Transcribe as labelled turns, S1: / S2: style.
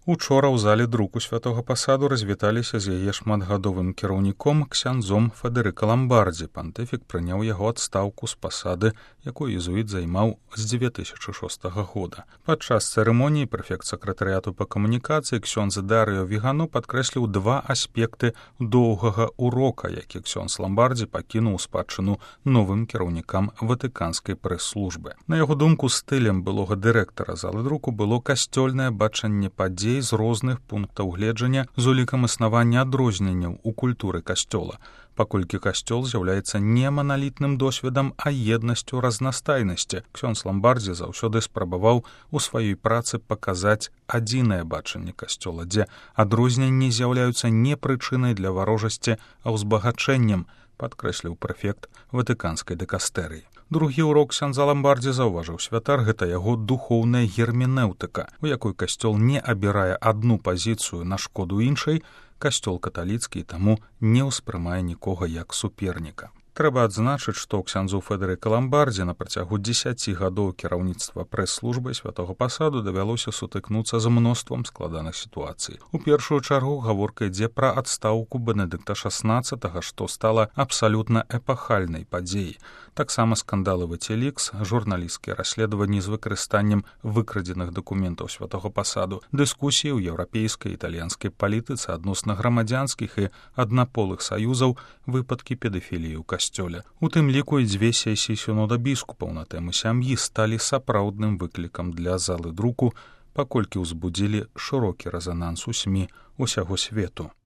S1: Учора ў зале друку святога пасаду развіталіся з яе шматгадовым кіраўніком ксяндзом Федэрыка Ламбардзі. Пантыфік прыняў яго адстаўку з пасады, якую езуіт займаў з 2006 года. Падчас цырымоніі прэфект сакратарыяту па камунікацыі ксёндз Дарыё Вігану падкрэсліў два аспекты доўгага урока, які ксёндз Ламбардзі пакінуў у спадчыну новым кіраўнікам ватыканскай прэс-службы. На яго думку, стылем былога дырэктара залы друку было касцёльнае бачанне падзей з розных пунктаў гледжання з улікам існавання адрозненняў у культуры касцёла, паколькі касцёл з'яўляецца не маналітным досведам, а еднасцю разнастайнасці. Ксёндз Ламбардзі заўсёды спрабаваў у сваёй працы паказаць адзінае бачанне касцёла, дзе адрозненні з'яўляюцца не прычынай для варожасці, а ўзбагачэннем, падкрэсліў прэфект ватыканскай дыкастэрыі. Другі урок ксяндза Ламбардзі, заўважыў святар, гэта яго духоўная герменэўтыка, у якой касцёл не абірае адну пазіцыю на шкоду іншай, касцёл каталіцкі таму не ўспрымае нікога як суперніка. Трэба адзначыць, што ксяндзу Федэрыка Ламбардзі на працягу 10 гадоў кіраўніцтва прэс-службай святога пасаду давялося сутыкнуцца з мноствам складаных сітуацый. У першую чаргу гаворка ідзе пра адстаўку Бенедыкта XVI, што стала абсалютна эпахальнай падзеяй. Таксама скандалы Вацілікс, журналісцкія расследаванні з выкарыстаннем выкрадзеных дакументаў святога пасаду, дыскусіі ў еўрапейскай і італьянскай палітыцы адносна грамадзянскіх і аднаполых саюзаў, выпадкі педафіліі ў касцёле. У тым ліку і 2 сесіі сінода біскупаў на тэму сям'і сталі сапраўдным выклікам для залы друку, паколькі ўзбудзілі шырокі рэзананс у СМІ усяго свету.